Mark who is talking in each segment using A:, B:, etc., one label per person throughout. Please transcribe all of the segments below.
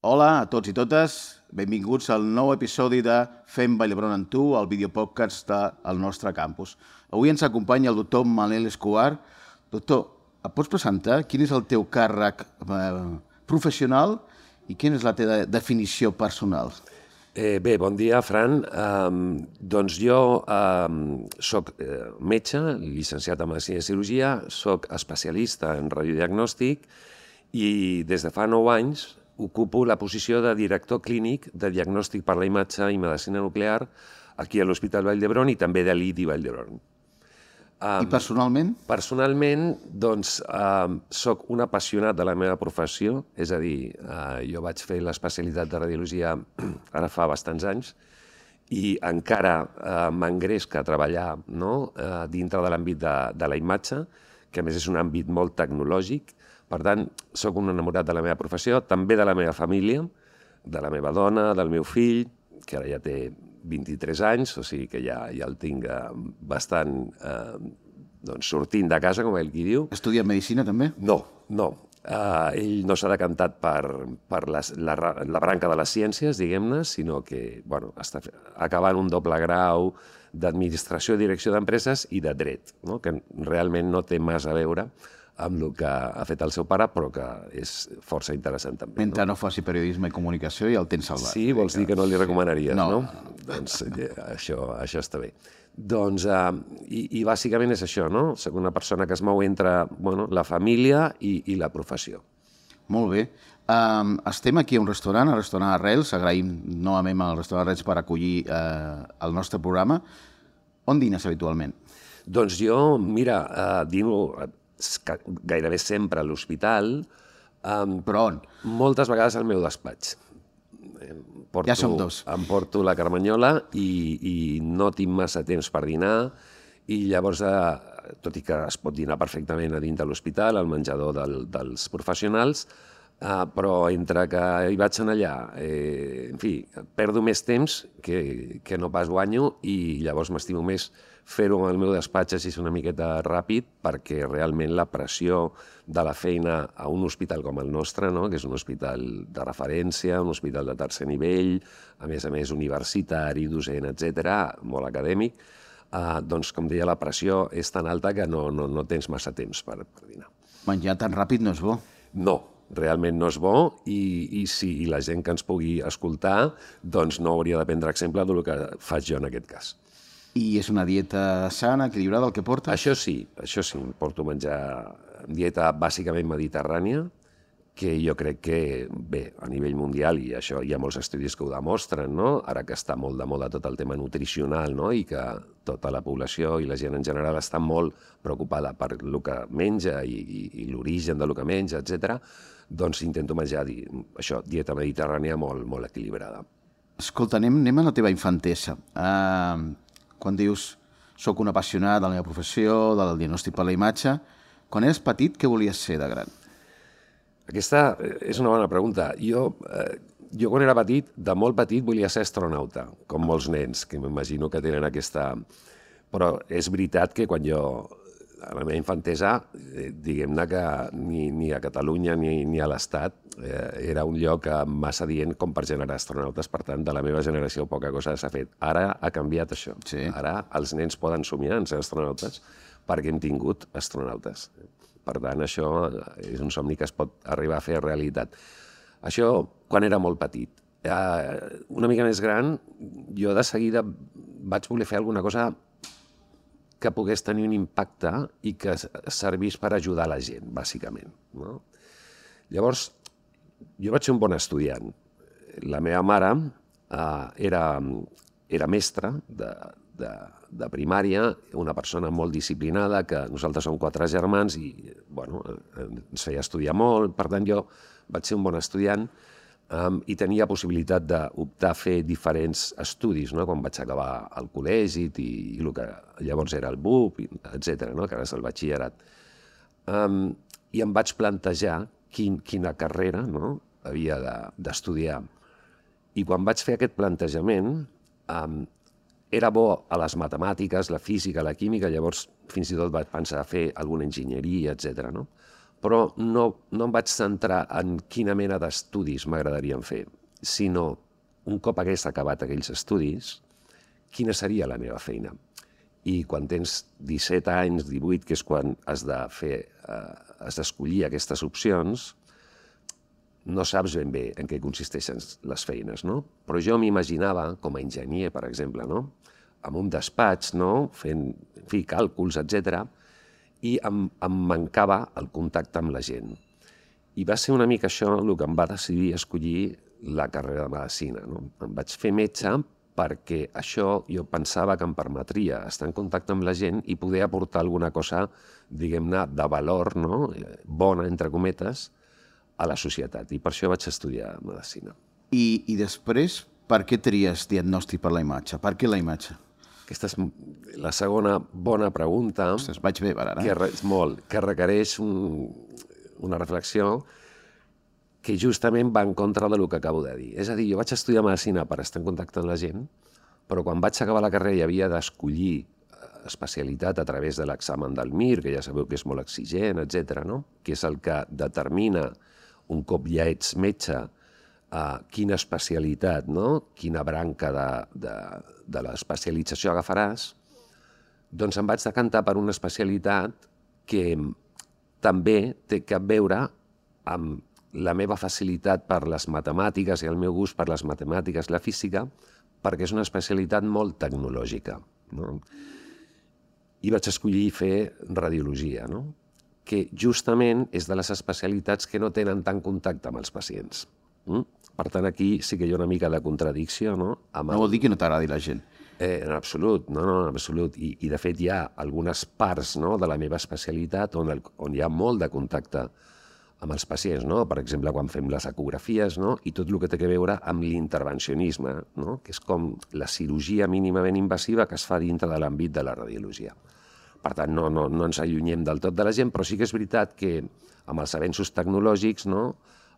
A: Hola a tots i totes, benvinguts al nou episodi de Fem Vall d'Hebron amb tu, el videopodcast del nostre campus. Avui ens acompanya el doctor Manel Escobar. Doctor, et pots presentar? Quin és el teu càrrec professional i quina és la teva definició personal?
B: Bé, bon dia, Fran. Doncs jo soc metge, llicenciat en Medicina i Cirurgia, soc especialista en radiodiagnòstic i des de fa 9 anys ocupo la posició de director clínic de diagnòstic per la imatge i medicina nuclear aquí a l'Hospital Vall d'Hebron i també de l'IDI Vall d'Hebron.
A: I personalment?
B: Personalment, doncs, soc un apassionat de la meva professió, és a dir, jo vaig fer l'especialitat de radiologia ara fa bastants anys i encara m'engresca a treballar dintre de l'àmbit de la imatge, que a més és un àmbit molt tecnològic. Per tant, soc un enamorat de la meva professió, també de la meva família, de la meva dona, del meu fill, que ara ja té 23 anys, o sigui que ja el tinc bastant sortint de casa, com ell qui diu.
A: Estudia Medicina també?
B: No. Ell no s'ha decantat per la branca de les ciències, diguem-ne, sinó que està acabant un doble grau d'administració i direcció d'empreses i de dret, que realment no té massa a veure amb el que ha fet el seu pare, però que és força interessant també.
A: Mentre no faci periodisme i comunicació ja el tens salvat.
B: Sí, vols dir que no li recomanaries, no?
A: No.
B: Doncs això està bé. Doncs, i bàsicament és això, no? Soc una persona que es mou entre la família i la professió.
A: Molt bé. Estem aquí a un restaurant, el restaurant Arrels. Agraïm novament al restaurant Arrels per acollir el nostre programa. On dines habitualment?
B: Doncs jo, mira, dino gairebé sempre a l'hospital.
A: Però on?
B: Moltes vegades al meu despatx.
A: Ja som dos.
B: Em porto la carmanyola i no tinc massa temps per dinar i llavors, tot i que es pot dinar perfectament a dins de l'hospital, al menjador dels professionals, però entre que hi vaig allà, en fi, perdo més temps que no pas guanyo i llavors m'estimo més fer-ho en el meu despatx així una miqueta ràpid perquè realment la pressió de la feina a un hospital com el nostre, que és un hospital de referència, un hospital de tercer nivell, a més universitari, docent, etc., molt acadèmic, doncs, com deia, la pressió és tan alta que no tens massa temps per dinar.
A: Menjar tan ràpid no és bo.
B: No, realment no és bo i si la gent que ens pugui escoltar doncs no hauria de prendre exemple del que faig jo en aquest cas.
A: I és una dieta sana, equilibrada, el que portes?
B: Això sí, porto menjar dieta bàsicament mediterrània, que jo crec que, bé, a nivell mundial, i això hi ha molts estudis que ho demostren, ara que està molt de moda tot el tema nutricional, i que tota la població i la gent en general està molt preocupada per el que menja i l'origen del que menja, etc., doncs intento menjar això, dieta mediterrània molt equilibrada.
A: Escolta, anem a la teva infantesa. Quan dius, soc un apassionat de la meva professió, del diagnòstic per la imatge, quan eres petit, què volies ser de gran?
B: Aquesta és una bona pregunta. Jo quan era petit, de molt petit, volia ser astronauta, com molts nens, que m'imagino que tenen aquesta... Però és veritat que quan jo, a la meva infantesa, diguem-ne que ni a Catalunya ni a l'Estat era un lloc massa dient com per generar astronautes. Per tant, de la meva generació poca cosa s'ha fet. Ara ha canviat això.
A: Sí.
B: Ara els nens poden somiar en ser astronautes perquè hem tingut astronautes. Per tant, això és un somni que es pot arribar a fer realitat. Això quan era molt petit. Una mica més gran, jo de seguida vaig voler fer alguna cosa que pogués tenir un impacte i que servís per ajudar la gent, bàsicament. Llavors, jo vaig ser un bon estudiant. La meva mare era mestra de primària, una persona molt disciplinada, que nosaltres som 4 germans i ens feia estudiar molt. Per tant, jo vaig ser un bon estudiant i tenia possibilitat d'optar a fer diferents estudis, quan vaig acabar el col·legi i el que llavors era el BUP, etc., que ara és el batxillerat. I em vaig plantejar quina carrera havia d'estudiar. I quan vaig fer aquest plantejament, era bo a les matemàtiques, la física, la química, llavors fins i tot vaig pensar a fer alguna enginyeria, etc. però no em vaig centrar en quina mena d'estudis m'agradarien fer, sinó un cop hagués acabat aquells estudis, quina seria la meva feina. I quan tens 17 anys, 18, que és quan has d'escollir aquestes opcions, no saps ben bé en què consisteixen les feines, no? Però jo m'imaginava, com a enginyer, per exemple, no? En un despatx, no? Fent càlculs, etc. I em mancava el contacte amb la gent. I va ser una mica això el que em va decidir escollir la carrera de medicina, no? Em vaig fer metge perquè això jo pensava que em permetria estar en contacte amb la gent i poder aportar alguna cosa, diguem-ne, de valor, no? Bona, entre cometes, a la societat. I per això vaig estudiar medicina.
A: I després, per què tries diagnòstic per la imatge? Per què la imatge?
B: Aquesta és la segona bona pregunta.
A: Ostres, vaig bé per ara.
B: Que requereix una reflexió que justament va en contra del que acabo de dir. És a dir, jo vaig estudiar medicina per estar en contacte amb la gent, però quan vaig acabar la carrera i havia d'escollir especialitat a través de l'examen del MIR, que ja sabeu que és molt exigent, etc., no? Que és el que determina, un cop ja ets metge, quina especialitat, no? Quina branca de l'especialització agafaràs, doncs em vaig decantar per una especialitat que també té a veure amb la meva facilitat per les matemàtiques i el meu gust per les matemàtiques i la física, perquè és una especialitat molt tecnològica, no? I vaig escollir fer radiologia, no? Que justament és de les especialitats que no tenen tant contacte amb els pacients. Per tant, aquí sí que hi ha una mica de contradicció, no?
A: No vol dir que no t'agradi la gent.
B: En absolut, no, en absolut. I de fet hi ha algunes parts, no, de la meva especialitat on hi ha molt de contacte amb els pacients, no? Per exemple, quan fem les ecografies, no? I tot el que té a veure amb l'intervencionisme, no? Que és com la cirurgia mínimament invasiva que es fa dintre de l'àmbit de la radiologia. Per tant, no ens allunyem del tot de la gent, però sí que és veritat que amb els avenços tecnològics, no?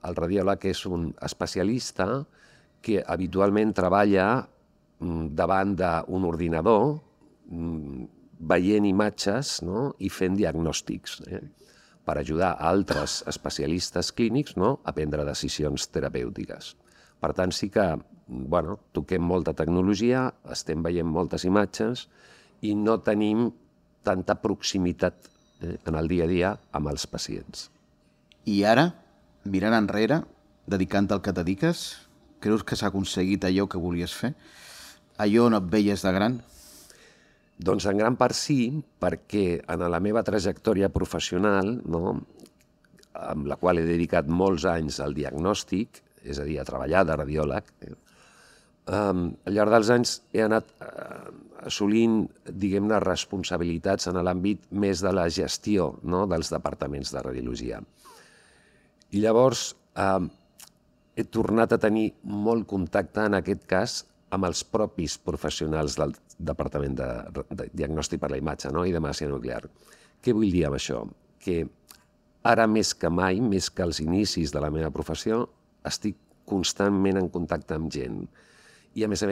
B: El radiòleg és un especialista que habitualment treballa davant d'un ordinador, veient imatges, no? I fent diagnòstics, per ajudar a altres especialistes clínics, no? A prendre decisions terapèutiques. Per tant, sí que toquem molta tecnologia, estem veient moltes imatges i no tenim tanta proximitat en el dia a dia amb els pacients.
A: I ara, mirant enrere, dedicant-te al que et dediques, creus que s'ha aconseguit allò que volies fer? Allò on et veies de gran?
B: Doncs en gran part sí, perquè en la meva trajectòria professional, no, amb la qual he dedicat molts anys al diagnòstic, és a dir, a treballar de radiòleg, al llarg dels anys he anat assolint, diguem-ne, responsabilitats en l'àmbit més de la gestió, no, dels departaments de radiologia. I llavors he tornat a tenir molt contacte, en aquest cas, amb els propis professionals del Departament de Diagnòstic per la Imatge, no? I de Medicina Nuclear. Què vull dir amb això? Que ara més que mai, més que als inicis de la meva professió, estic constantment en contacte amb gent. I a més,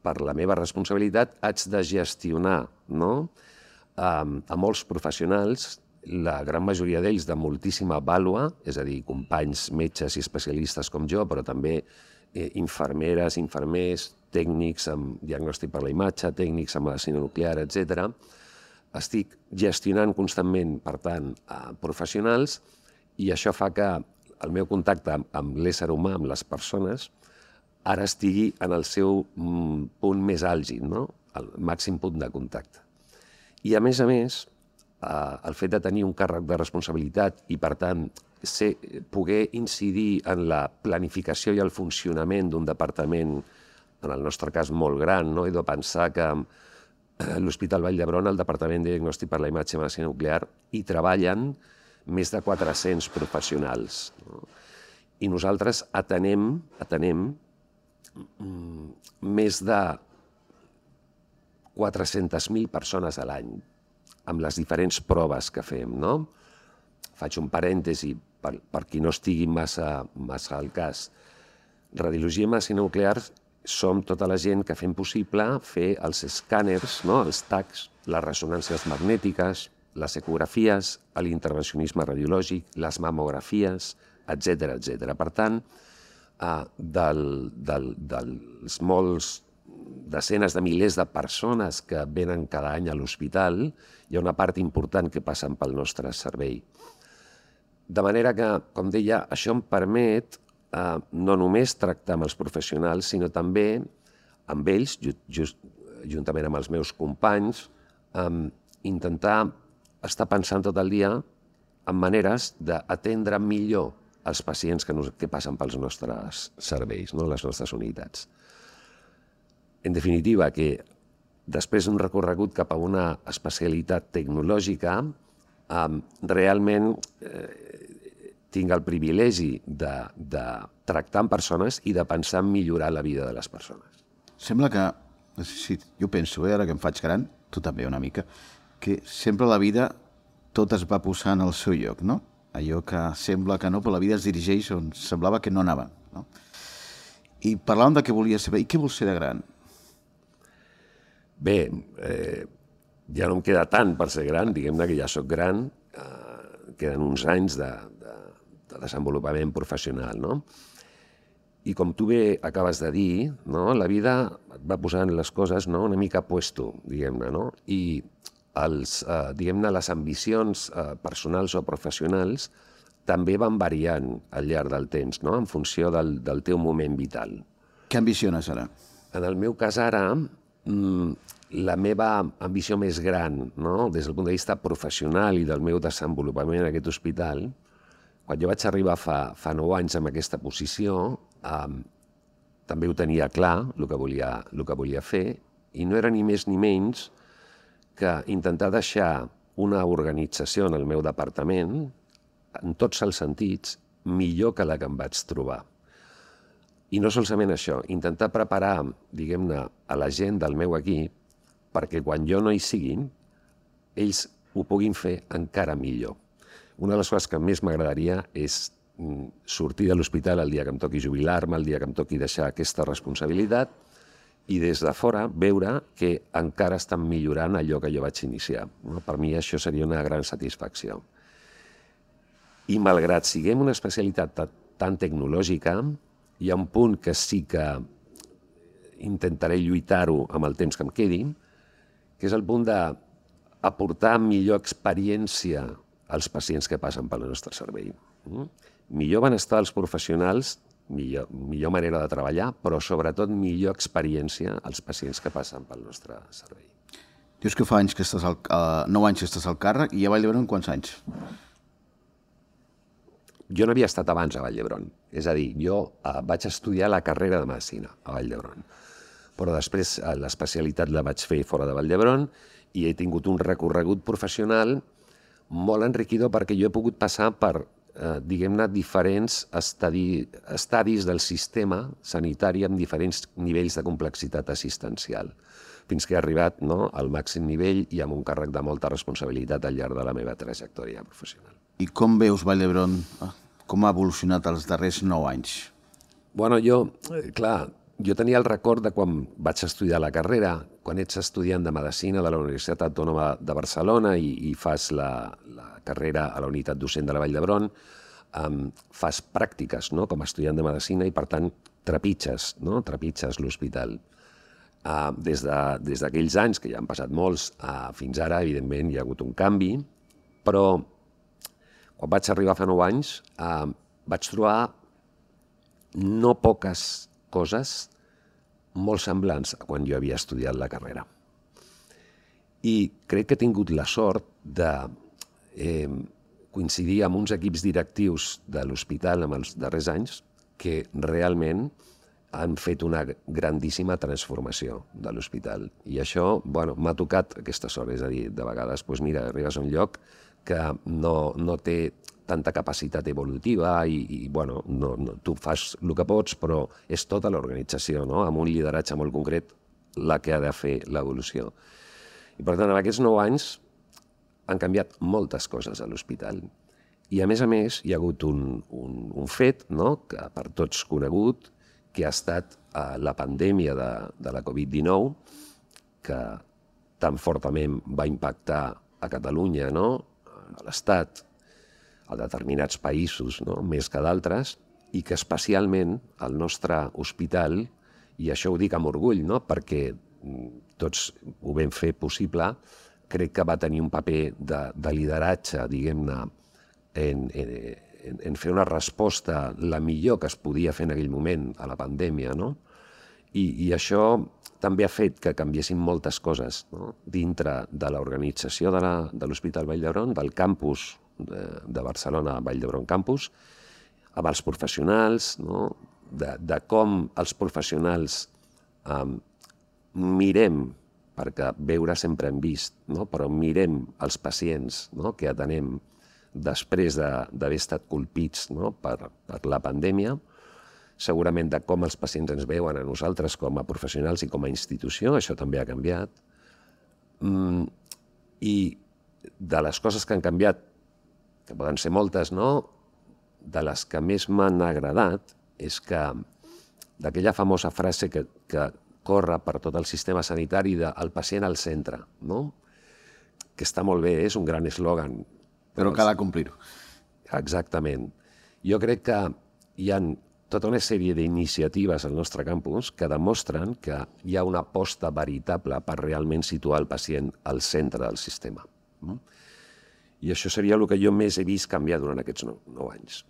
B: per la meva responsabilitat, haig de gestionar, no? A molts professionals, la gran majoria d'ells de moltíssima vàlua, és a dir, companys, metges i especialistes com jo, però també infermeres, infermers, tècnics amb diagnòstic per la imatge, tècnics amb medicina nuclear, etc. Estic gestionant constantment, per tant, professionals, i això fa que el meu contacte amb l'ésser humà, amb les persones, ara estigui en el seu punt més àlgid, no? El màxim punt de contacte. I a més, el fet de tenir un càrrec de responsabilitat i, per tant, poder incidir en la planificació i el funcionament d'un departament, en el nostre cas molt gran, no? He de pensar que a l'Hospital Vall d'Hebron, al Departament de Diagnòstic per la Imatge i Medicina Nuclear, hi treballen més de 400 professionals. No? I nosaltres atenem més de 400.000 persones a l'any, amb les diferents proves que fem, no? Faig un parèntesi per qui no estigui massa al cas. Radiologia i medicina nuclear som tota la gent que fem possible fer els escàners, no? Els TACs, les ressonàncies magnètiques, les ecografies, l'intervencionisme radiològic, les mamografies, etc etc. Per tant, dels molts desenes de milers de persones que venen cada any a l'hospital, hi ha una part important que passen pel nostre servei. De manera que, com deia, això em permet no només tractar amb els professionals, sinó també amb ells, juntament amb els meus companys, intentar estar pensant tot el dia en maneres d'atendre millor els pacients que passen pels nostres serveis, les nostres unitats. En definitiva, que després d'un recorregut cap a una especialitat tecnològica, realment tinc el privilegi de tractar amb persones i de pensar en millorar la vida de les persones.
A: Sembla que, jo penso, ara que em faig gran, tu també una mica, que sempre la vida tot es va posant al seu lloc, no? Allò que sembla que no, però la vida es dirigeix on semblava que no anava, no? I parlàvem de què volies saber. I què vols ser de gran?
B: Bé, ja no em queda tant per ser gran, diguem-ne que ja sóc gran, queden uns anys de desenvolupament professional, no? I com tu bé acabes de dir, no? La vida et va posant les coses, no? Una mica a puesto, diguem-ne, no? I diguem-ne, les ambicions personals o professionals també van variant al llarg del temps, no? En funció del teu moment vital.
A: Què ambiciones ara?
B: En el meu cas ara, la meva ambició més gran, no? Des del punt de vista professional i del meu desenvolupament en aquest hospital, quan jo vaig arribar fa 9 anys en aquesta posició, també ho tenia clar, el que volia fer, i no era ni més ni menys que intentar deixar una organització en el meu departament, en tots els sentits, millor que la que em vaig trobar. I no solament això, intentar preparar, diguem-ne, a la gent del meu equip perquè quan jo no hi siguin, ells ho puguin fer encara millor. Una de les coses que més m'agradaria és sortir de l'hospital el dia que em toqui jubilar-me, el dia que em toqui deixar aquesta responsabilitat i des de fora veure que encara estan millorant allò que jo vaig iniciar. Per mi això seria una gran satisfacció. I malgrat siguem una especialitat tan tecnològica, hi ha un punt que sí que intentaré lluitar-ho amb el temps que em quedi, que és el punt d'aportar millor experiència als pacients que passen pel nostre servei. Millor benestar als professionals, millor manera de treballar, però sobretot millor experiència als pacients que passen pel nostre servei.
A: Dius que fa 9 anys que estàs al càrrec i a Vall d'Hebron quants anys?
B: Jo no havia estat abans a Vall d'Hebron. És a dir, jo vaig estudiar la carrera de Medicina a Vall d'Hebron, però després l'especialitat la vaig fer fora de Vall d'Hebron i he tingut un recorregut professional molt enriquidor perquè jo he pogut passar per, diguem-ne, diferents estadis del sistema sanitari amb diferents nivells de complexitat assistencial, fins que he arribat al màxim nivell i amb un càrrec de molta responsabilitat al llarg de la meva trajectòria professional.
A: I com veus Vall d'Hebron? Com ha evolucionat els darrers 9 anys?
B: Bueno, jo tenia el record de quan vaig estudiar la carrera, quan ets estudiant de Medicina de la Universitat Autònoma de Barcelona i fas la carrera a la unitat docent de la Vall d'Hebron, fas pràctiques com a estudiant de Medicina i, per tant, trepitges l'hospital. Des d'aquells anys, que ja han passat molts, fins ara, evidentment, hi ha hagut un canvi, però quan vaig arribar fa 9 anys vaig trobar no poques coses molt semblants a quan jo havia estudiat la carrera. I crec que he tingut la sort de coincidir amb uns equips directius de l'hospital en els darrers anys que realment han fet una grandíssima transformació de l'hospital. I això m'ha tocat aquesta sort, és a dir, de vegades arribes a un lloc que no té tanta capacitat evolutiva i tu fas el que pots, però és tota l'organització, amb un lideratge molt concret, la que ha de fer l'evolució. I per tant, en aquests 9 anys han canviat moltes coses a l'hospital. I a més, hi ha hagut un fet, que per tots conegut, que ha estat la pandèmia de la Covid-19, que tan fortament va impactar a Catalunya, no? A l'Estat, a determinats països, no? Més que d'altres, i que especialment el nostre hospital, i això ho dic amb orgull, no? Perquè tots ho vam fer possible, crec que va tenir un paper de lideratge, diguem-ne, en fer una resposta la millor que es podia fer en aquell moment a la pandèmia, no? I això també ha fet que canviessin moltes coses, no? Dintre de l'organització de l'Hospital Vall d'Hebron, del campus de Barcelona, Vall d'Hebron Campus, amb els professionals, no? De com els professionals mirem, perquè veure sempre hem vist, no? Però mirem els pacients, no? Que atenem després d'haver estat colpits, no? per la pandèmia, segurament de com els pacients ens veuen a nosaltres com a professionals i com a institució, això també ha canviat. I de les coses que han canviat, que poden ser moltes, no? De les que més m'han agradat és que d'aquella famosa frase que corre per tot el sistema sanitari de el pacient al centre, no? Que està molt bé, és un gran eslògan.
A: Però cal complir-ho.
B: Exactament. Jo crec que hi ha tota una sèrie d'iniciatives al nostre campus que demostren que hi ha una aposta veritable per realment situar el pacient al centre del sistema. I això seria el que jo més he vist canviar durant aquests 9 anys.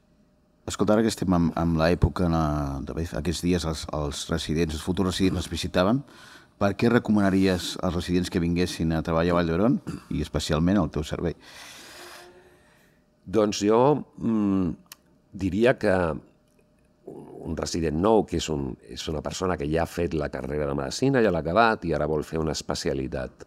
A: Escolta, ara que estem en l'època, aquests dies els residents, els futurs residents els visitaven, per què recomanaries als residents que vinguessin a treballar a Vall d'Hebron i especialment al teu servei?
B: Doncs jo diria que un resident nou, que és una persona que ja ha fet la carrera de medicina, ja l'ha acabat i ara vol fer una especialitat,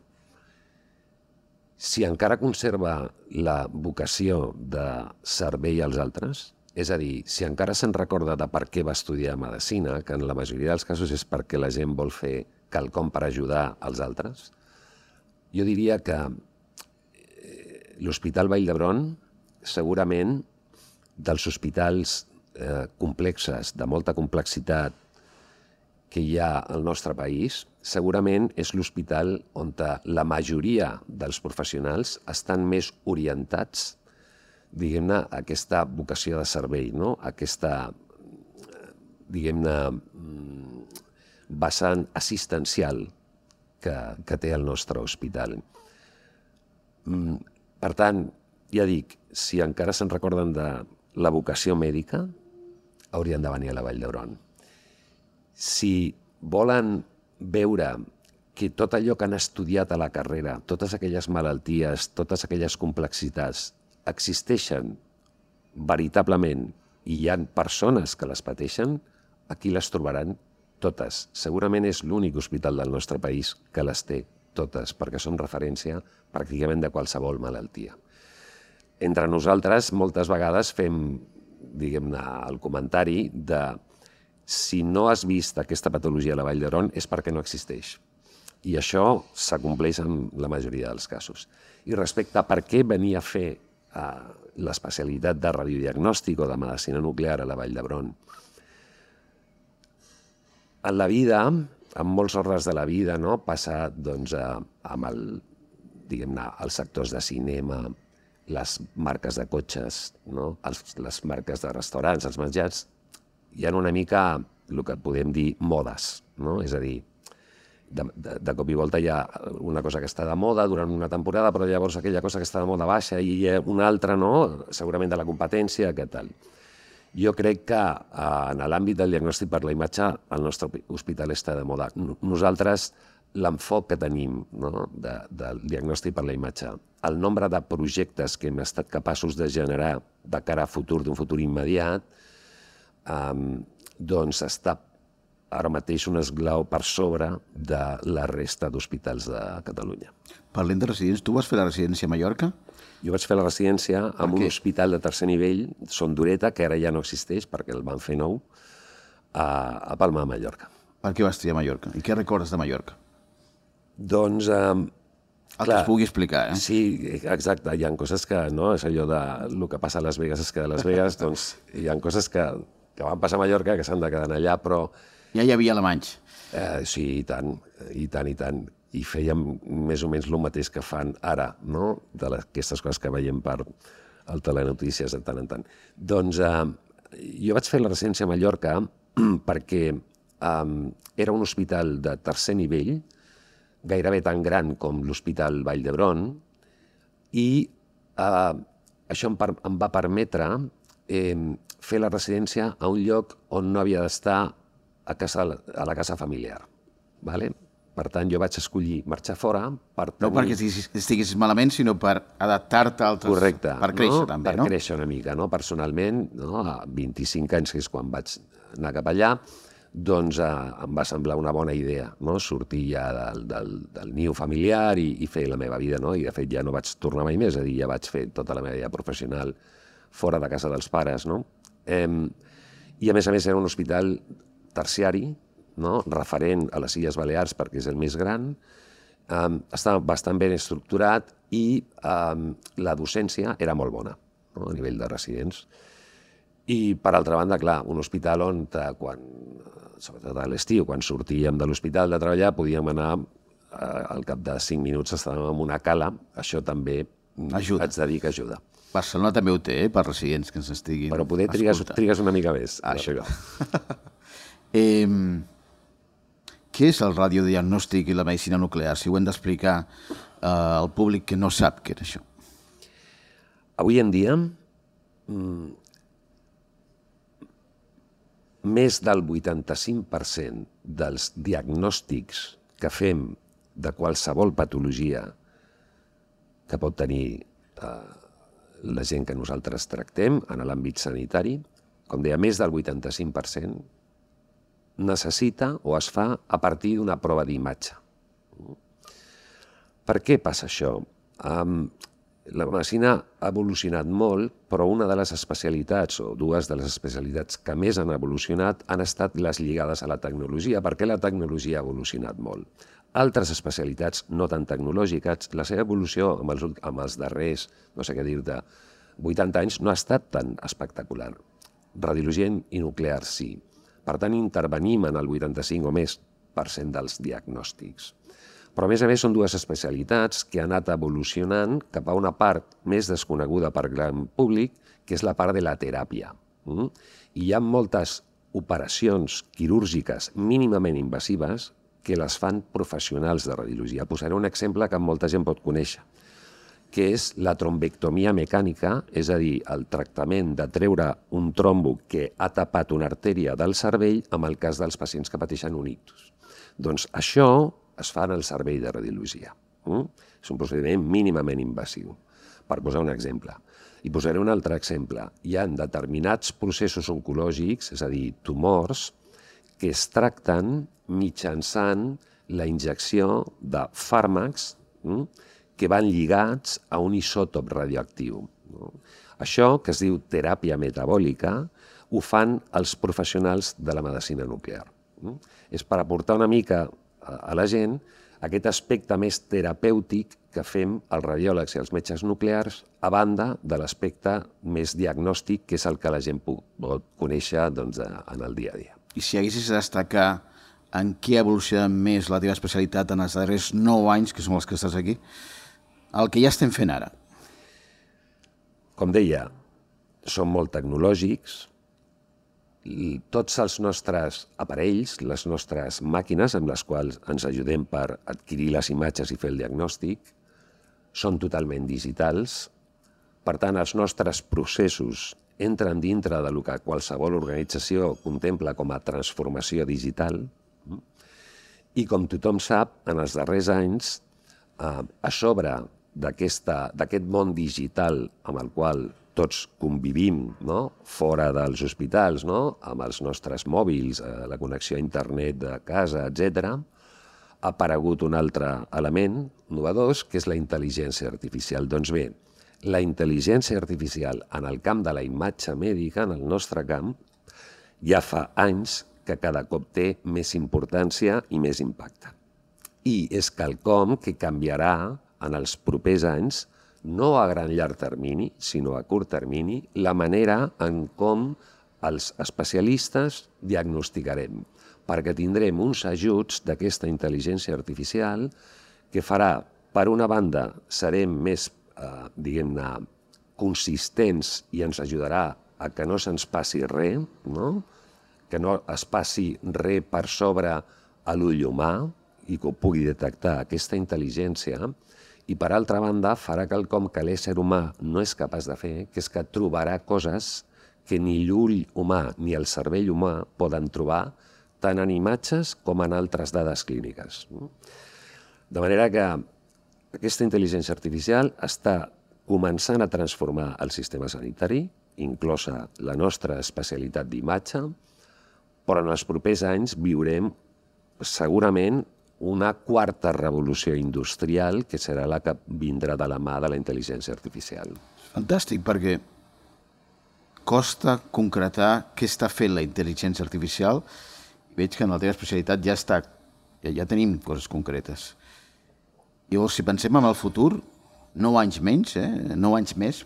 B: si encara conserva la vocació de servei als altres, és a dir, si encara se'n recorda de per què va estudiar medicina, que en la majoria dels casos és perquè la gent vol fer quelcom per ajudar als altres, jo diria que l'Hospital Vall d'Hebron, segurament, dels hospitals complexes, de molta complexitat que hi ha al nostre país, segurament és l'hospital on la majoria dels professionals estan més orientats, diguem-ne, a aquesta vocació de servei, no? Aquesta, diguem-ne, vessant assistencial que té el nostre hospital. Per tant, ja dic, si encara se'n recorden de la vocació mèdica, haurien de venir a la Vall d'Hebron. Si volen veure que tot allò que han estudiat a la carrera, totes aquelles malalties, totes aquelles complexitats, existeixen veritablement i hi ha persones que les pateixen, aquí les trobaran totes. Segurament és l'únic hospital del nostre país que les té totes, perquè som referència pràcticament de qualsevol malaltia. Entre nosaltres, moltes vegades fem, diguem-ne, el comentari de si no has vist aquesta patologia a la Vall d'Hebron és perquè no existeix. I això s'acompleix en la majoria dels casos. I respecte a per què venir a fer l'especialitat de radiodiagnòstic o de medicina nuclear a la Vall d'Hebron, en la vida, en molts ordres de la vida, no, passa doncs, amb els sectors de cinema, les marques de cotxes, no, les marques de restaurants, els menjars, hi ha una mica el que podem dir modes, no? És a dir, de cop i volta hi ha una cosa que està de moda durant una temporada, però llavors aquella cosa que està de moda baixa i hi ha una altra, no? Segurament de la competència, què tal. Jo crec que en l'àmbit del diagnòstic per la imatge el nostre hospital està de moda. Nosaltres, l'enfoc que tenim, no? Del diagnòstic per la imatge, el nombre de projectes que hem estat capaços de generar de cara a futur, d'un futur immediat, doncs està ara mateix un esglau per sobre de la resta d'hospitals de Catalunya.
A: Parlem de residents. Tu vas fer la residència a Mallorca?
B: Jo vaig fer la residència en un hospital de tercer nivell, Son Dureta, que ara ja no existeix perquè el van fer nou, a Palma de Mallorca.
A: Per què vas triar Mallorca? I què recordes de Mallorca?
B: Doncs...
A: el que es pugui explicar, eh?
B: Sí, exacte. Hi ha coses que, no, és allò de el que passa a Las Vegas es queda a Las Vegas, doncs hi ha coses que van passar a Mallorca que s'han de quedar allà, però...
A: Ja hi havia alemanys.
B: Sí, i tant, i tant, i tant. i fèiem més o menys el mateix que fan ara, no? D'aquestes coses que veiem per al Telenotícies de tant en tant. Doncs jo vaig fer la residència a Mallorca perquè era un hospital de tercer nivell, gairebé tan gran com l'Hospital Vall d'Hebron, i això em va permetre fer la residència a un lloc on no havia d'estar a la casa familiar. Vale? Per tant, jo vaig escollir marxar fora per tenir...
A: No perquè estiguessis malament, sinó per adaptar-te a altres...
B: Correcte.
A: Per créixer, també, no?
B: Per créixer una mica, no? Personalment, no? A 25 anys, que és quan vaig anar cap allà, doncs em va semblar una bona idea, no? Sortir ja del niu familiar i fer la meva vida, no? I de fet ja no vaig tornar mai més, és a dir, ja vaig fer tota la meva vida professional fora de casa dels pares, no? I a més era un hospital terciari, no? Referent a les Illes Balears perquè és el més gran, estava bastant ben estructurat i la docència era molt bona, no? A nivell de residents. I, per altra banda, clar, un hospital on, sobretot a l'estiu, quan sortíem de l'hospital de treballar, podíem anar, al cap de 5 minuts estàvem en una cala, això també
A: ajuda.
B: Haig de dir que ajuda.
A: Barcelona també ho té, per residents que ens estiguin...
B: Però poder trigues una mica més, això.
A: Què és el radiodiagnòstic i la medicina nuclear? Si ho hem d'explicar al públic que no sap què és això.
B: Avui en dia, més del 85% dels diagnòstics que fem de qualsevol patologia que pot tenir la gent que nosaltres tractem en l'àmbit sanitari, com deia, més del 85%, necessita o es fa a partir d'una prova d'imatge. Per què passa això? La medicina ha evolucionat molt, però una de les especialitats, o dues de les especialitats que més han evolucionat, han estat les lligades a la tecnologia, perquè la tecnologia ha evolucionat molt. Altres especialitats no tan tecnològiques, la seva evolució amb els darrers, no sé què dir-te, 80 anys no ha estat tan espectacular. Radiologia i nuclear sí. Per tant, intervenim en el 85 o més % dels diagnòstics. Però, a més, són dues especialitats que han anat evolucionant cap a una part més desconeguda per gran públic, que és la part de la teràpia. I hi ha moltes operacions quirúrgiques mínimament invasives que les fan professionals de radiologia. Posaré un exemple que molta gent pot conèixer, que és la trombectomia mecànica, és a dir, el tractament de treure un trombo que ha tapat una artèria del cervell en el cas dels pacients que pateixen un ictus. Doncs això es fa en el servei de radiologia. És un procediment mínimament invasiu, per posar un exemple. I posaré un altre exemple. Hi ha determinats processos oncològics, és a dir, tumors, que es tracten mitjançant la injecció de fàrmacs que van lligats a un isòtop radioactiu. Això, que es diu teràpia metabòlica, ho fan els professionals de la medicina nuclear. És per aportar una mica a la gent aquest aspecte més terapèutic que fem els radiòlegs i els metges nuclears, a banda de l'aspecte més diagnòstic, que és el que la gent pot conèixer en el dia a dia.
A: I si haguessis de destacar en què ha evolucionat més la teva especialitat en els darrers 9 anys, que són els que estàs aquí, el que ja estem fent ara?
B: Com deia, són molt tecnològics. Tots els nostres aparells, les nostres màquines amb les quals ens ajudem per adquirir les imatges i fer el diagnòstic, són totalment digitals. Per tant, els nostres processos entren dintre del que qualsevol organització contempla com a transformació digital. I com tothom sap, en els darrers anys, a sobre d'aquest món digital amb el qual tots convivim, fora dels hospitals, amb els nostres mòbils, la connexió a internet de casa, etc., ha aparegut un altre element innovador, que és la intel·ligència artificial. Doncs bé, la intel·ligència artificial en el camp de la imatge mèdica, en el nostre camp, ja fa anys que cada cop té més importància i més impacte. I és quelcom que canviarà en els propers anys, no a gran llarg termini, sinó a curt termini, la manera en com els especialistes diagnosticarem, perquè tindrem uns ajuts d'aquesta intel·ligència artificial que farà, per una banda, serem més, diguem-ne, consistents i ens ajudarà a que no se'ns passi res, no? Que no es passi res per sobre a l'ull humà i que ho pugui detectar aquesta intel·ligència, i per altra banda farà quelcom que l'ésser humà no és capaç de fer, que és que trobarà coses que ni l'ull humà ni el cervell humà poden trobar tant en imatges com en altres dades clíniques. De manera que aquesta intel·ligència artificial està començant a transformar el sistema sanitari, inclosa la nostra especialitat d'imatge, però en els propers anys viurem segurament una quarta revolució industrial que serà la que vindrà de la mà de la intel·ligència artificial.
A: Fantàstic, perquè costa concretar què està fent la intel·ligència artificial. Veig que en la teva especialitat ja tenim coses concretes. Llavors, si pensem en el futur, 9 anys més,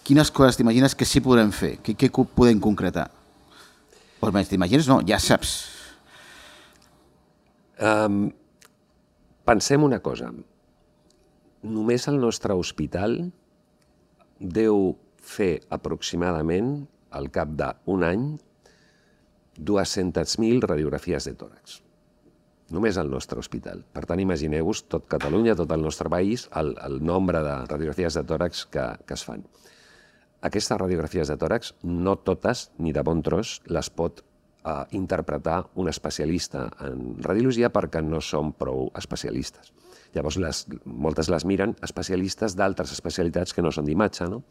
A: quines coses t'imagines que sí podrem fer? Què podem concretar? O almenys t'imagines? No, ja saps.
B: Pensem una cosa. Només el nostre hospital deu fer aproximadament, al cap d'un any, 200.000 radiografies de tòrax. Només el nostre hospital. Per tant, imagineu-vos tot Catalunya, tot el nostre país, el nombre de radiografies de tòrax que es fan. Aquestes radiografies de tòrax, no totes, ni de bon tros, les pot interpretar un especialista en radiologia perquè no són prou especialistes. Llavors, moltes les miren especialistes d'altres especialitats que no són d'imatge, no?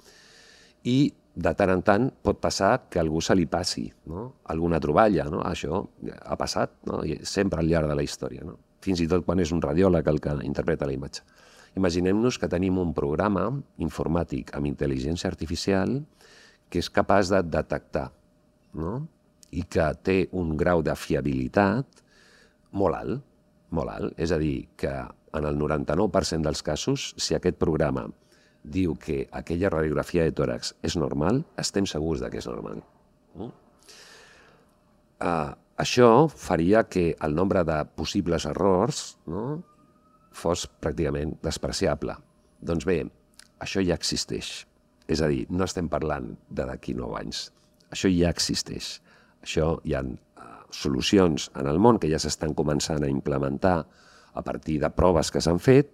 B: I de tant en tant pot passar que a algú se li passi, no? Alguna troballa, no? Això ha passat, no? I sempre al llarg de la història, no? Fins i tot quan és un radiòleg el que interpreta la imatge. Imaginem-nos que tenim un programa informàtic amb intel·ligència artificial que és capaç de detectar, no? I que té un grau de fiabilitat molt alt, molt alt. És a dir, que en el 99% dels casos, si aquest programa diu que aquella radiografia de tòrax és normal, estem segurs que és normal. Això faria que el nombre de possibles errors fos pràcticament despreciable. Doncs bé, això ja existeix. És a dir, no estem parlant d'aquí 9 anys. Això ja existeix. Això hi ha solucions en el món que ja s'estan començant a implementar a partir de proves que s'han fet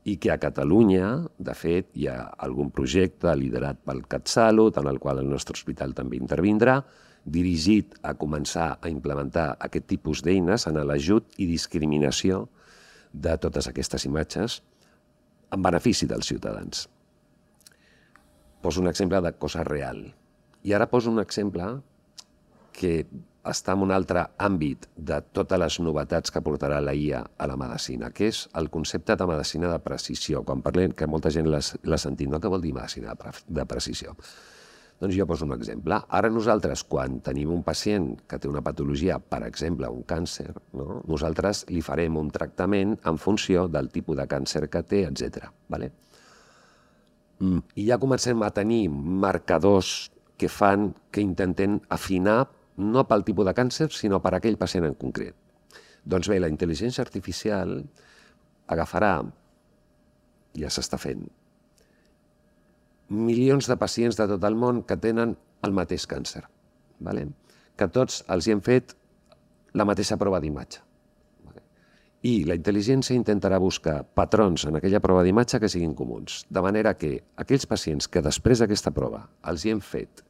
B: i que a Catalunya, de fet, hi ha algun projecte liderat pel CatSalut, en el qual el nostre hospital també intervindrà, dirigit a començar a implementar aquest tipus d'eines en l'ajut i discriminació de totes aquestes imatges en benefici dels ciutadans. Poso un exemple de cosa real. I ara poso un exemple que està en un altre àmbit de totes les novetats que portarà la IA a la medicina, que és el concepte de medicina de precisió. Quan parlem, que molta gent l'ha sentit, no? Què vol dir medicina de precisió? Doncs jo poso un exemple. Ara nosaltres, quan tenim un pacient que té una patologia, per exemple, un càncer, no? Nosaltres li farem un tractament en funció del tipus de càncer que té, etc. I ja comencem a tenir marcadors que intenten afinar no pel tipus de càncer, sinó per aquell pacient en concret. Doncs bé, la intel·ligència artificial agafarà, ja s'està fent, milions de pacients de tot el món que tenen el mateix càncer, que tots els hi hem fet la mateixa prova d'imatge. I la intel·ligència intentarà buscar patrons en aquella prova d'imatge que siguin comuns, de manera que aquells pacients que després d'aquesta prova els hi hem fet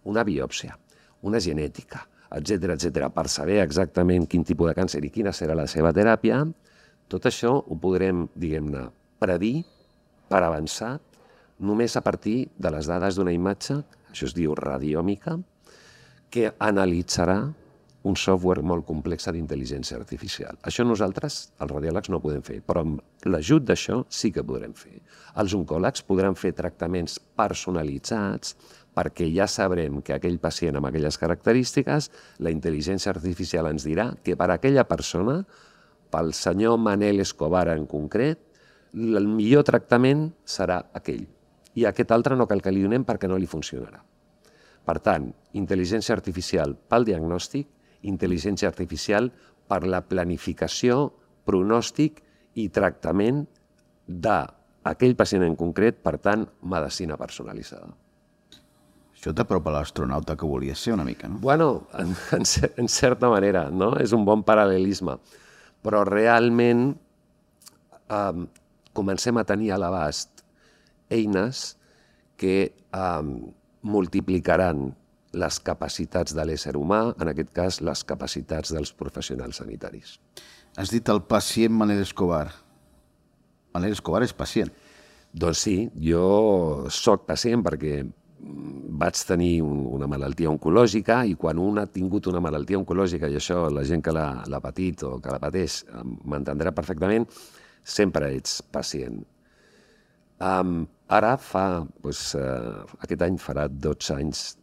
B: una biòpsia, una genètica, etc., per saber exactament quin tipus de càncer i quina serà la seva teràpia, tot això ho podrem, diguem-ne, predir per avançat només a partir de les dades d'una imatge, això es diu radiòmica, que analitzarà un software molt complex d'intel·ligència artificial. Això nosaltres, els radiòlegs, no ho podem fer, però amb l'ajut d'això sí que podrem fer. Els oncòlegs podran fer tractaments personalitzats perquè ja sabrem que aquell pacient amb aquelles característiques, la intel·ligència artificial ens dirà que per a aquella persona, pel senyor Manel Escobar en concret, el millor tractament serà aquell. I aquest altre no cal que li donem perquè no li funcionarà. Per tant, intel·ligència artificial pel diagnòstic, intel·ligència artificial per la planificació pronòstic i tractament d'aquell pacient en concret, per tant, medicina personalitzada.
A: Això t'apropa a l'astronauta que volies ser una mica, no?
B: Bueno, en certa manera, no? És un bon paral·lelisme. Però realment comencem a tenir a l'abast eines que multiplicaran les capacitats de l'ésser humà, en aquest cas, les capacitats dels professionals sanitaris.
A: Has dit el pacient Manel Escobar. Manel Escobar és pacient.
B: Doncs sí, jo soc pacient perquè vaig tenir una malaltia oncològica i quan un ha tingut una malaltia oncològica, i això la gent que l'ha patit o que la pateix m'entendrà perfectament, sempre ets pacient. Ara aquest any farà 12 anys,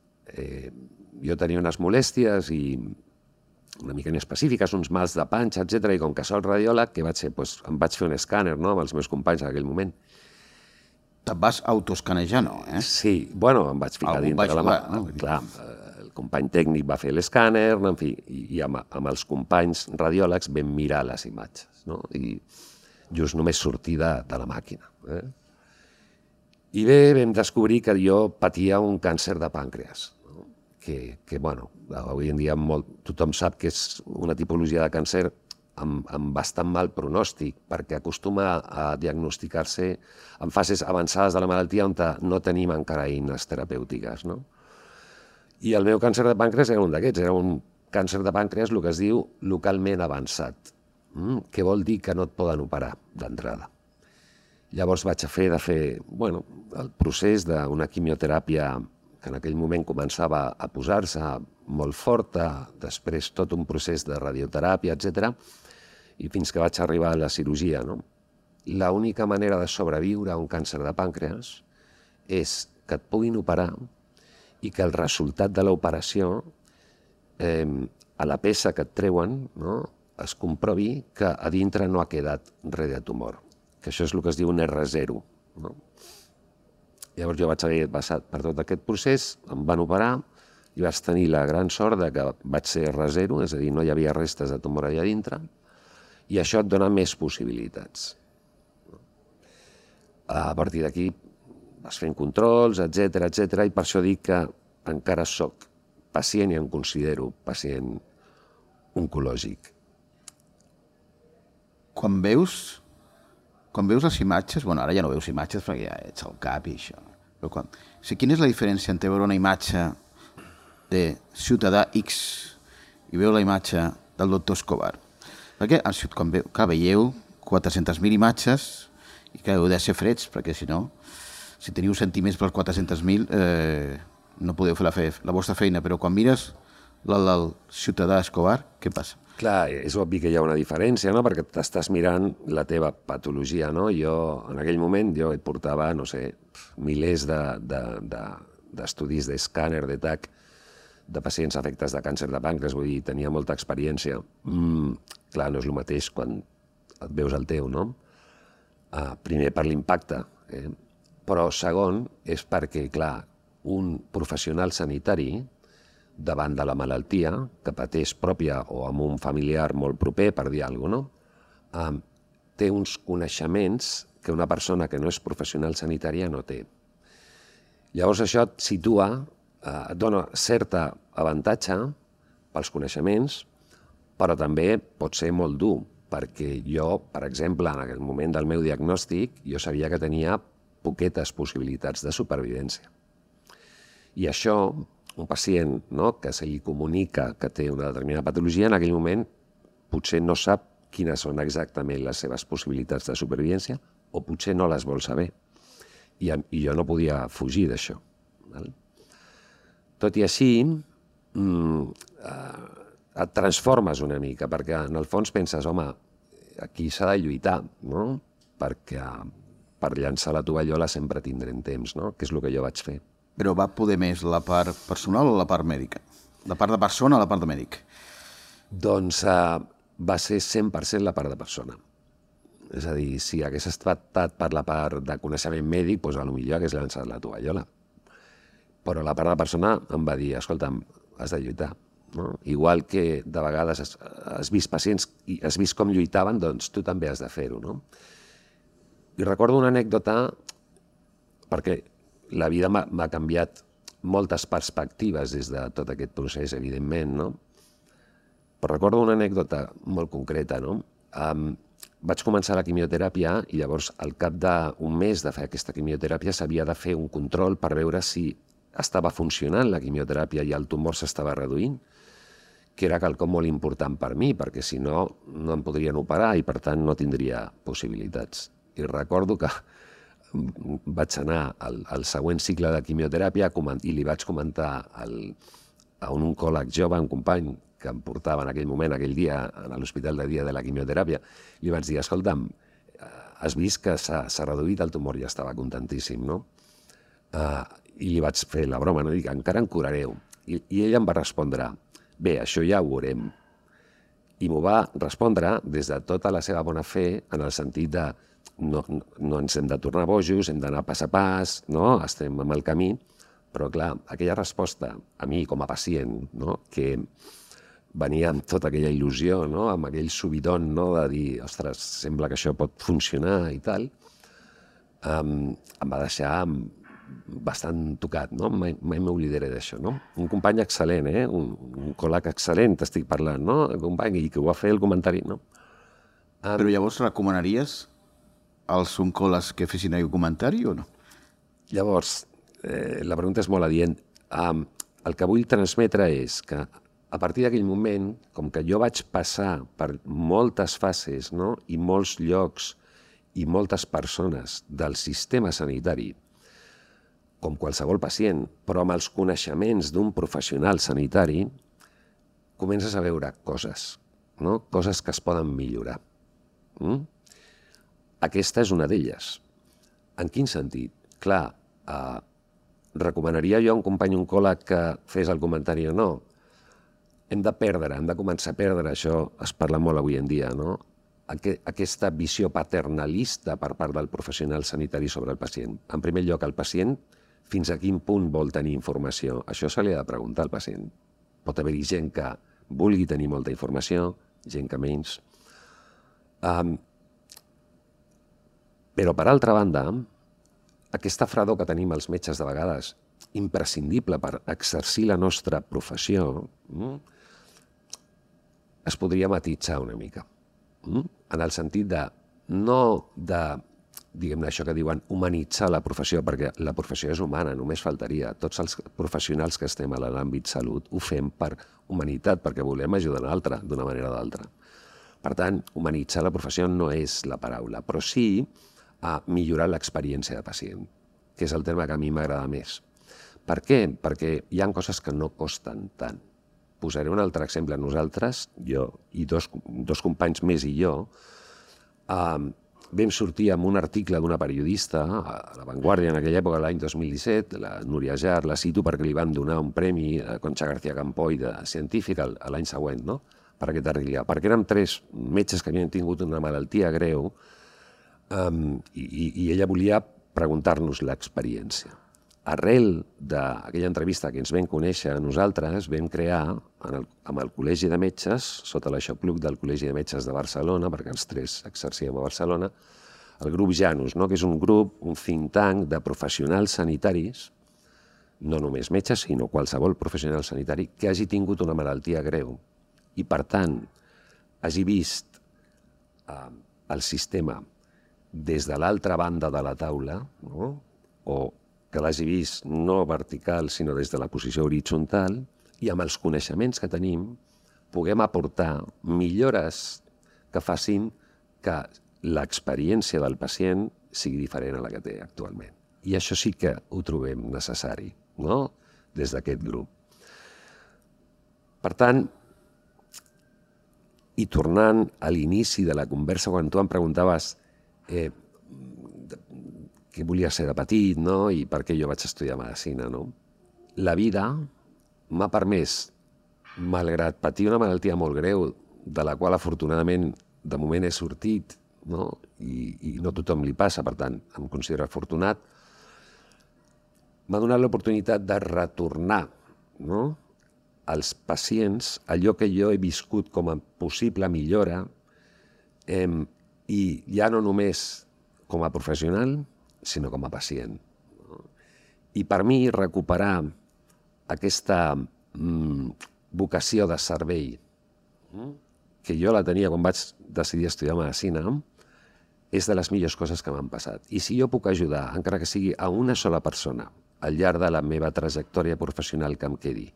B: jo tenia unes molèsties i una mica inespecífiques, uns mals de panxa, etc. I com que soc radiòleg, què vaig fer? Em vaig fer un escàner, no?, amb els meus companys en aquell moment.
A: Te'n vas autoescanejar, no?
B: Sí, bueno, em vaig ficar dintre de la mà. Clar, el company tècnic va fer l'escàner, en fi, i amb els companys radiòlegs vam mirar les imatges, no? I just només sortir de la màquina. I bé, vam descobrir que jo patia un càncer de pàncreas, que bueno, avui en dia tothom sap que és una tipologia de càncer amb bastant mal pronòstic, perquè acostuma a diagnosticar-se en fases avançades de la malaltia on no tenim encara eines terapèutiques, no? I el meu càncer de pàncreas era un d'aquests, era un càncer de pàncreas, el que es diu localment avançat, que vol dir que no et poden operar d'entrada. Llavors vaig fer el procés d'una quimioteràpia que en aquell moment començava a posar-se molt forta, després tot un procés de radioteràpia, etc. I fins que vaig arribar a la cirurgia. L'única manera de sobreviure a un càncer de pàncreas és que et puguin operar i que el resultat de l'operació, a la peça que et treuen, es comprovi que a dintre no ha quedat res de tumor, que això és el que es diu un R0. Llavors jo vaig haver passat per tot aquest procés, em van operar i vaig tenir la gran sort que vaig ser R0, és a dir, no hi havia restes de tumor allà dintre, i això et dona més possibilitats. A partir d'aquí vas fent controls, etc, i per això dic que encara soc pacient i em considero pacient oncològic.
A: Quan veus les imatges, bueno, ara ja no veus imatges perquè ja ets al cap i això, però quina és la diferència entre veure una imatge de ciutadà X i veure la imatge del doctor Escobar? Perquè quan veieu 400.000 imatges i que heu de ser freds, perquè si no, si teniu sentiments pels 400.000 no podeu fer la vostra feina, però quan mires el ciutadà Escobar, què passa?
B: Clar, és obvi que hi ha una diferència, no?, perquè t'estàs mirant la teva patologia, no? Jo, en aquell moment, et portava, no sé, milers d'estudis d'escàner, de TAC, de pacients afectes de càncer de pàncreas, vull dir, tenia molta experiència. Clar, no és el mateix quan et veus el teu, no? Primer, per l'impacte, però segon, és perquè, clar, un professional sanitari, davant de la malaltia que pateix pròpia o amb un familiar molt proper, per dir alguna cosa, té uns coneixements que una persona que no és professional sanitària no té. Llavors això et situa, et dona certa avantatge pels coneixements, però també pot ser molt dur, perquè jo, per exemple, en aquell moment del meu diagnòstic, jo sabia que tenia poquetes possibilitats de supervivència. I això, un pacient que se li comunica que té una determinada patologia, en aquell moment potser no sap quines són exactament les seves possibilitats de supervivència o potser no les vol saber. I jo no podia fugir d'això. Tot i així, et transformes una mica, perquè en el fons penses, home, aquí s'ha de lluitar, no? Perquè per llançar la tovallola sempre tindrem temps, no? Que és el que jo vaig fer.
A: Però va poder més la part personal o la part mèdica? La part de persona o la part de mèdic?
B: Doncs va ser 100% la part de persona. És a dir, si hagués estat per la part de coneixement mèdic, doncs potser hagués llançat la tovallola. Però la part de persona em va dir, escolta'm, has de lluitar. no? Igual que de vegades has vist pacients i has vist com lluitaven, doncs tu també has de fer-ho, no? I recordo una anècdota, perquè la vida m'ha canviat moltes perspectives des de tot aquest procés, evidentment, no? Però recordo una anècdota molt concreta, no? Vaig començar la quimioteràpia i llavors al cap d'un mes de fer aquesta quimioteràpia s'havia de fer un control per veure si estava funcionant la quimioteràpia i el tumor s'estava reduint, que era quelcom molt important per mi, perquè si no, no em podrien operar i per tant no tindria possibilitats. I recordo que vaig anar al següent cicle de quimioteràpia i li vaig comentar a un oncòleg jove, un company que em portava en aquell moment, aquell dia, a l'hospital de dia de la quimioteràpia, li vaig dir, escolta'm, has vist que s'ha reduït el tumor? Ja estava contentíssim, no? I li vaig fer la broma, no? Dic, encara en curareu. I ell em va respondre, bé, això ja ho veurem. I m'ho va respondre des de tota la seva bona fe, en el sentit de no ens hem de tornar bojos, hem d'anar pas a pas, no? Estem en el camí, però clar, aquella resposta a mi com a pacient, no? Que venia amb tota aquella il·lusió, no? Amb aquell subidon, no? De dir, ostres, sembla que això pot funcionar i tal, em va deixar bastant tocat, no? Mai m'oblidaré d'això, no? Un company excel·lent, un col·leg excel·lent, t'estic parlant, no? Un company i que ho va fer el comentari, no?
A: Però llavors recomanaries als oncòlegs que fessin aquell comentari o no?
B: Llavors, la pregunta és molt adient. El que vull transmetre és que a partir d'aquell moment, com que jo vaig passar per moltes fases, no? I molts llocs i moltes persones del sistema sanitari, com qualsevol pacient, però amb els coneixements d'un professional sanitari, comences a veure coses, no? Coses que es poden millorar. Aquesta és una d'elles. En quin sentit? Clar, recomanaria jo a un company oncòleg que fes el comentari o no? Hem de començar a perdre, això es parla molt avui en dia, no? Aquesta visió paternalista per part del professional sanitari sobre el pacient. En primer lloc, el pacient, fins a quin punt vol tenir informació? Això se li ha de preguntar al pacient. Pot haver-hi gent que vulgui tenir molta informació, gent que menys. Però, per altra banda, aquesta fredor que tenim els metges de vegades, imprescindible per exercir la nostra professió, es podria matisar una mica. En el sentit de, no de, diguem-ne això que diuen, humanitzar la professió, perquè la professió és humana, només faltaria. Tots els professionals que estem a l'àmbit salut ho fem per humanitat, perquè volem ajudar l'altre d'una manera o d'altra. Per tant, humanitzar la professió no és la paraula, però sí a millorar l'experiència de pacient, que és el terme que a mi m'agrada més. Per què? Perquè hi ha coses que no costen tant. Posaré un altre exemple. Nosaltres, jo i dos companys més i jo, vam sortir amb un article d'una periodista a La Vanguardia en aquella època, l'any 2017, la Núria Jar, la cito perquè li van donar un premi a Concha García Campoy de científica l'any següent, no? Per aquest article. Perquè érem 3 metges que havien tingut una malaltia greu i ella volia preguntar-nos l'experiència. Arrel d'aquella entrevista que ens vam conèixer, nosaltres vam crear amb el Col·legi de Metges, sota l'aixopluc del Col·legi de Metges de Barcelona, perquè els 3 exercíem a Barcelona, el grup Janus, no? Que és un grup, un think tank de professionals sanitaris, no només metges, sinó qualsevol professional sanitari que hagi tingut una malaltia greu i, per tant, hagi vist el sistema des de l'altra banda de la taula, no? O que l'hagi vist no vertical, sinó des de la posició horitzontal, i amb els coneixements que tenim puguem aportar millores que facin que l'experiència del pacient sigui diferent a la que té actualment. I això sí que ho trobem necessari, no? Des d'aquest grup. Per tant, i tornant a l'inici de la conversa, quan tu em preguntaves què volia ser de petit, no? I per què jo vaig estudiar medicina, no? La vida m'ha permès, malgrat patir una malaltia molt greu, de la qual afortunadament de moment he sortit, no? I no tothom li passa, per tant, em considero afortunat, m'ha donat l'oportunitat de retornar, no? als pacients allò que jo he viscut com a possible millora i ja no només com a professional, sinó com a pacient. I per mi recuperar aquesta vocació de servei, que jo la tenia quan vaig decidir estudiar medicina, és de les millors coses que m'han passat. I si jo puc ajudar, encara que sigui a una sola persona, al llarg de la meva trajectòria professional que em quedi,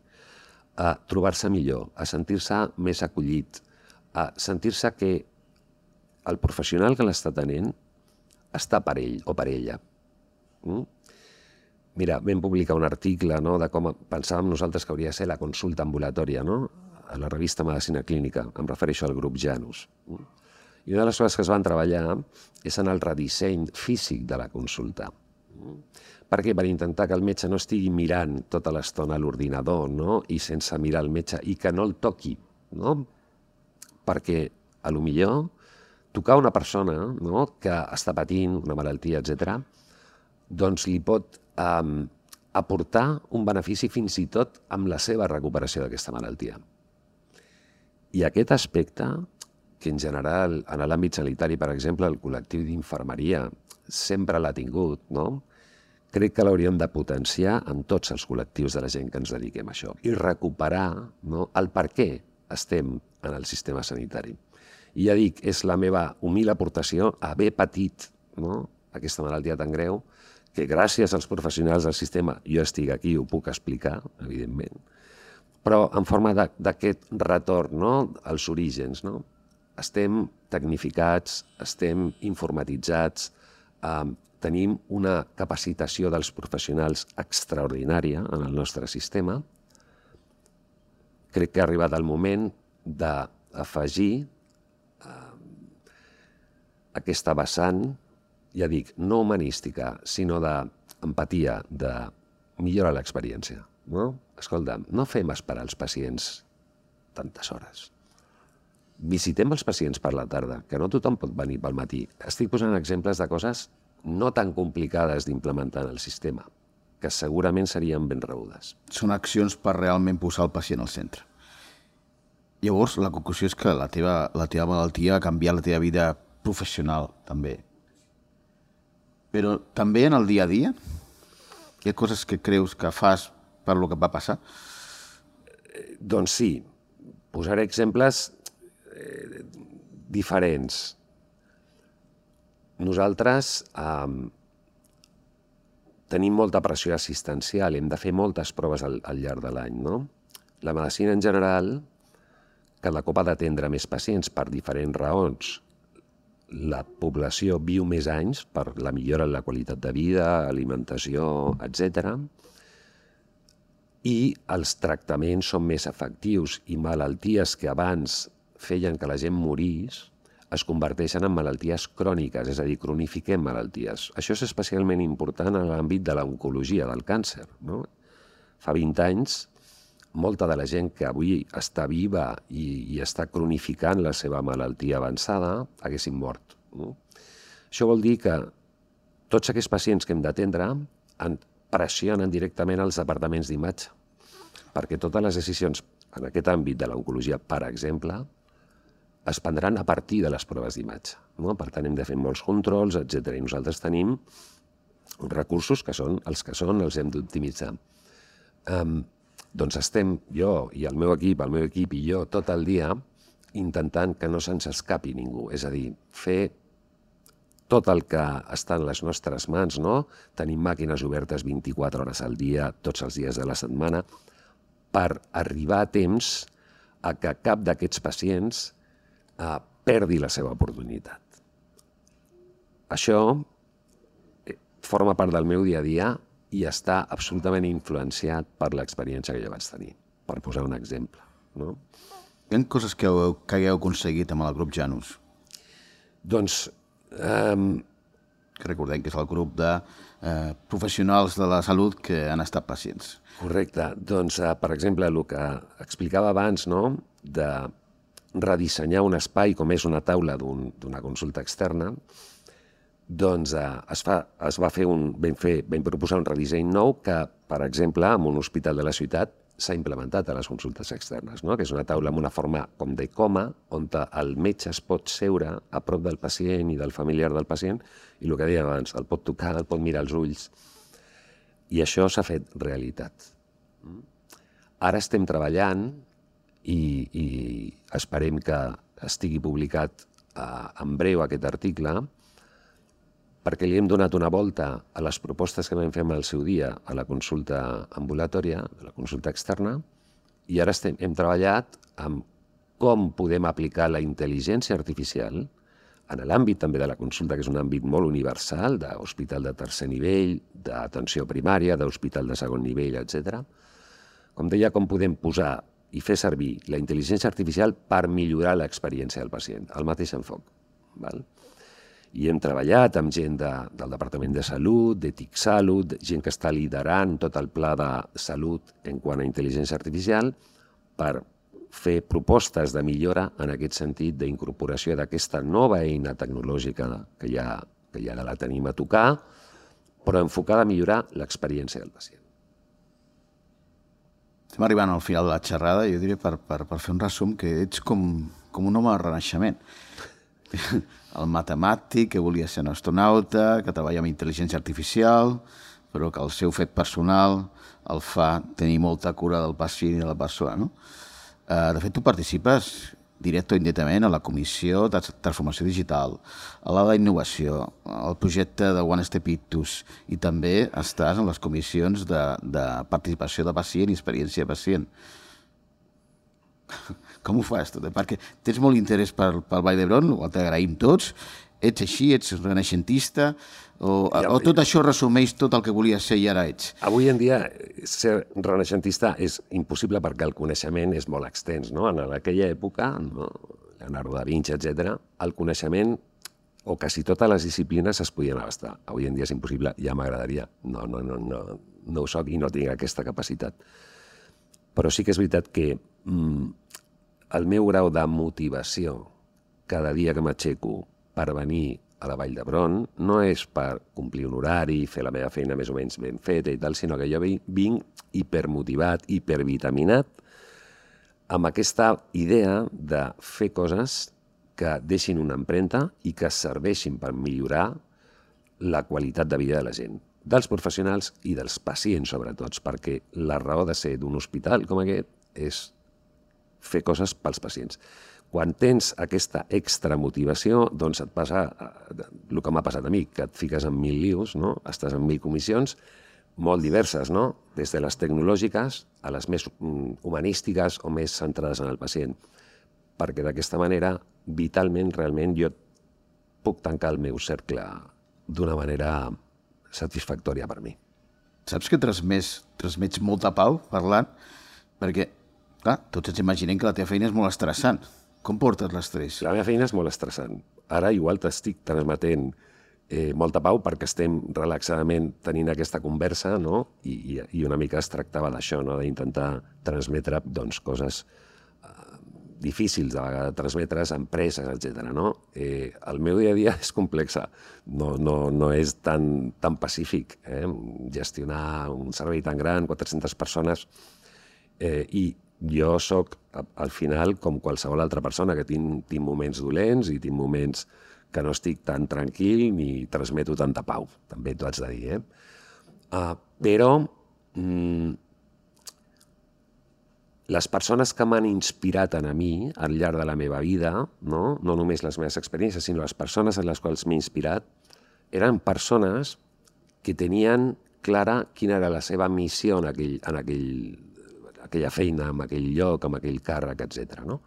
B: a trobar-se millor, a sentir-se més acollit, a sentir-se que el professional que l'està tenint està per ell o per ella. Mira, vam publicar un article de com pensàvem nosaltres que hauria de ser la consulta ambulatòria, a la revista Medicina Clínica, em refereixo al grup Janus. I una de les coses que es van treballar és en el redisseny físic de la consulta. Per què? Per intentar que el metge no estigui mirant tota l'estona a l'ordinador i sense mirar el metge i que no el toqui. Perquè, a lo millor, tocar una persona que està patint una malaltia, etc., doncs li pot aportar un benefici fins i tot amb la seva recuperació d'aquesta malaltia. I aquest aspecte, que en general, en l'àmbit sanitari, per exemple, el col·lectiu d'infermeria sempre l'ha tingut, crec que l'hauríem de potenciar en tots els col·lectius de la gent que ens dediquem a això i recuperar el per què estem en el sistema sanitari. I ja dic, és la meva humil aportació haver patit aquesta malaltia tan greu que gràcies als professionals del sistema jo estic aquí i ho puc explicar, evidentment, però en forma d'aquest retorn als orígens. Estem tecnificats, estem informatitzats, tenim una capacitació dels professionals extraordinària en el nostre sistema. Crec que ha arribat el moment d'afegir aquesta vessant, ja dic, no humanística, sinó d'empatia, de millorar l'experiència. Escolta, no fem esperar els pacients tantes hores. Visitem els pacients per la tarda, que no tothom pot venir pel matí. Estic posant exemples de coses no tan complicades d'implementar en el sistema, que segurament serien ben rebudes.
A: Són accions per realment posar el pacient al centre. Llavors, la conclusió és que la teva malaltia ha canviat la teva vida professional, també. Però també en el dia a dia? Hi ha coses que creus que fas per lo que va passar?
B: Doncs sí. Posaré exemples diferents. Nosaltres tenim molta pressió assistencial, hem de fer moltes proves al llarg de l'any. La medicina en general, cada cop ha d'atendre més pacients per diferents raons. La població viu més anys per la millora en la qualitat de vida, alimentació, etc. I els tractaments són més efectius i malalties que abans feien que la gent morís es converteixen en malalties cròniques, és a dir, cronifiquem malalties. Això és especialment important en l'àmbit de l'oncologia, del càncer. Fa 20 anys, molta de la gent que avui està viva i està cronificant la seva malaltia avançada haguessin mort. Això vol dir que tots aquests pacients que hem d'atendre pressionen directament els departaments d'imatge, perquè totes les decisions en aquest àmbit de l'oncologia, per exemple, es prendran a partir de les proves d'imatge. Per tant, hem de fer molts controls, etc. I nosaltres tenim recursos que són els que són, els hem d'optimitzar. Doncs estem jo i el meu equip i jo tot el dia intentant que no se'ns escapi ningú, és a dir, fer tot el que està en les nostres mans, tenim màquines obertes 24 hores al dia, tots els dies de la setmana, per arribar a temps a que cap d'aquests pacients perdi la seva oportunitat. Això forma part del meu dia a dia i està absolutament influenciat per l'experiència que jo vaig tenir, per posar un exemple.
A: Hi ha coses que hagueu aconseguit amb el grup Janus?
B: Doncs...
A: Recordem que és el grup de professionals de la salut que han estat pacients.
B: Correcte. Doncs, per exemple, el que explicava abans, de redissenyar un espai com és una taula d'una consulta externa, doncs vam proposar un redisseny nou que, per exemple, en un hospital de la ciutat s'ha implementat a les consultes externes, no? Que és una taula amb una forma com de coma, on el metge es pot seure a prop del pacient i del familiar del pacient i el que dèiem abans, el pot tocar, el pot mirar als ulls. I això s'ha fet realitat. Ara estem treballant i esperem que estigui publicat en breu aquest article, perquè li hem donat una volta a les propostes que vam fer al seu dia a la consulta ambulatòria, a la consulta externa, i ara hem treballat amb com podem aplicar la intel·ligència artificial en l'àmbit també de la consulta, que és un àmbit molt universal, d'hospital de tercer nivell, d'atenció primària, d'hospital de segon nivell, etc. Com deia, com podem posar i fer servir la intel·ligència artificial per millorar l'experiència del pacient, el mateix enfoc. Val? I hem treballat amb gent del Departament de Salut, de TIC-Salut, gent que està liderant tot el pla de salut en quant a intel·ligència artificial per fer propostes de millora en aquest sentit d'incorporació d'aquesta nova eina tecnològica que ja la tenim a tocar, però enfocada a millorar l'experiència del pacient.
A: Estem arribant al final de la xerrada i jo diria, per fer un resum, que ets com un home de renaixement. El matemàtic que volia ser un astronauta, que treballa amb intel·ligència artificial, però que el seu fet personal el fa tenir molta cura del pacient i de la persona, no? De fet, tu participes directe o indirectament a la Comissió de Transformació Digital, a la d'Innovació, al projecte de One Step Ictus, i també estàs en les comissions de participació de pacient i experiència de pacient. Com ho fas tot? Perquè tens molt interès pel Vall d'Hebron, ho t'agraïm tots, ets així, ets renaixentista, o tot això resumeix tot el que volies ser i ara ets?
B: Avui en dia ser renaixentista és impossible perquè el coneixement és molt extens, no? En aquella època, no? Leonardo da Vinci, etc., el coneixement o quasi totes les disciplines es podien abastar. Avui en dia és impossible, ja m'agradaria. No ho soc i no tinc aquesta capacitat. Però sí que és veritat que el meu grau de motivació cada dia que m'aixeco per venir a la Vall d'Hebron no és per complir un horari, fer la meva feina més o menys ben feta i tal, sinó que jo vinc hipermotivat, hipervitaminat, amb aquesta idea de fer coses que deixin una empremta i que serveixin per millorar la qualitat de vida de la gent, dels professionals i dels pacients, sobretot, perquè la raó de ser d'un hospital com aquest és fer coses pels pacients. Quan tens aquesta extra motivació, doncs et passa el que m'ha passat a mi, que et fiques en 1000 lius, no? Estàs en 1000 comissions molt diverses, no? Des de les tecnològiques a les més humanístiques o més centrades en el pacient. Perquè d'aquesta manera, vitalment, realment, jo puc tancar el meu cercle d'una manera satisfactòria per mi.
A: Saps que transmets molta pau parlant? Perquè, clar, tots ens imaginem que la teva feina és molt estressant. Com portes l'estrès?
B: La meva feina és molt estressant. Ara igual t'estic transmetent molta pau perquè estem relaxadament tenint aquesta conversa, no? I una mica es tractava d'això, no? D'intentar transmetre coses difícils de vegades, transmetre's a empreses, etc. No? El meu dia a dia és complex, no és tan pacífic. Gestionar un servei tan gran, 400 persones, i jo sóc, al final, com qualsevol altra persona, que tinc moments dolents i tinc moments que no estic tan tranquil ni transmeto tanta pau, també t'ho haig de dir. Però les persones que m'han inspirat a mi al llarg de la meva vida, no només les meves experiències, sinó les persones en les quals m'he inspirat, eren persones que tenien clara quina era la seva missió en aquella feina, en aquell lloc, en aquell càrrec, etc. No?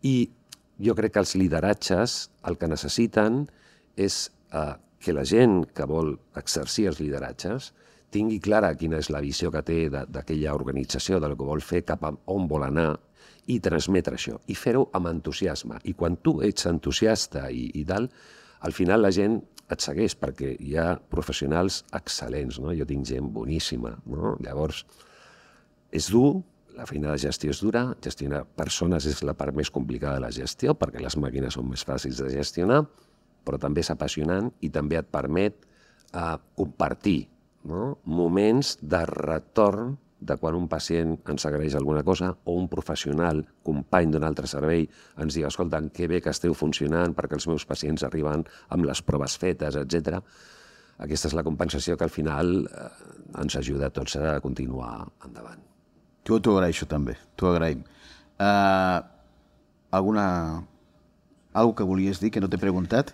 B: I jo crec que els lideratges el que necessiten és que la gent que vol exercir els lideratges tingui clara quina és la visió que té d'aquella organització, del que vol fer, cap a on vol anar, i transmetre això, i fer-ho amb entusiasme. I quan tu ets entusiasta i tal, al final la gent et segueix, perquè hi ha professionals excel·lents, no? Jo tinc gent boníssima, no? Llavors, és dur, la feina de gestió és dura, gestionar persones és la part més complicada de la gestió, perquè les màquines són més fàcils de gestionar, però també és apassionant i també et permet compartir, no? Moments de retorn de quan un pacient ens agraeix alguna cosa o un professional, company d'un altre servei, ens diu, escolta, que bé que esteu funcionant perquè els meus pacients arriben amb les proves fetes, etc. Aquesta és la compensació que al final ens ajuda a tots a continuar endavant.
A: Jo t'ho agraeixo també, t'ho agraïm. Algo que volies dir que no t'he preguntat?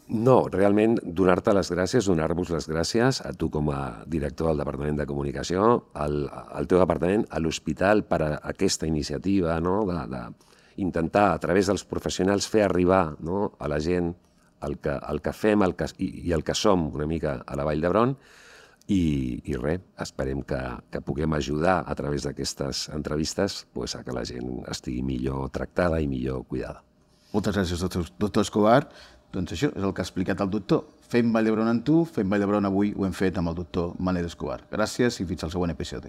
B: No, realment donar-te les gràcies, donar-vos les gràcies a tu com a director del Departament de Comunicació, al teu departament, a l'hospital per a aquesta iniciativa, no? D'intentar a través dels professionals fer arribar, no? A la gent el que fem i el que som una mica a la Vall d'Hebron i res, esperem que puguem ajudar a través d'aquestes entrevistes a que la gent estigui millor tractada i millor cuidada.
A: Moltes gràcies, doctor Escobar. Doncs això és el que ha explicat el doctor. Fem Vall d'Hebron amb tu, fem Vall d'Hebron avui, ho hem fet amb el doctor Manel Escobar. Gràcies i fins al següent episodi.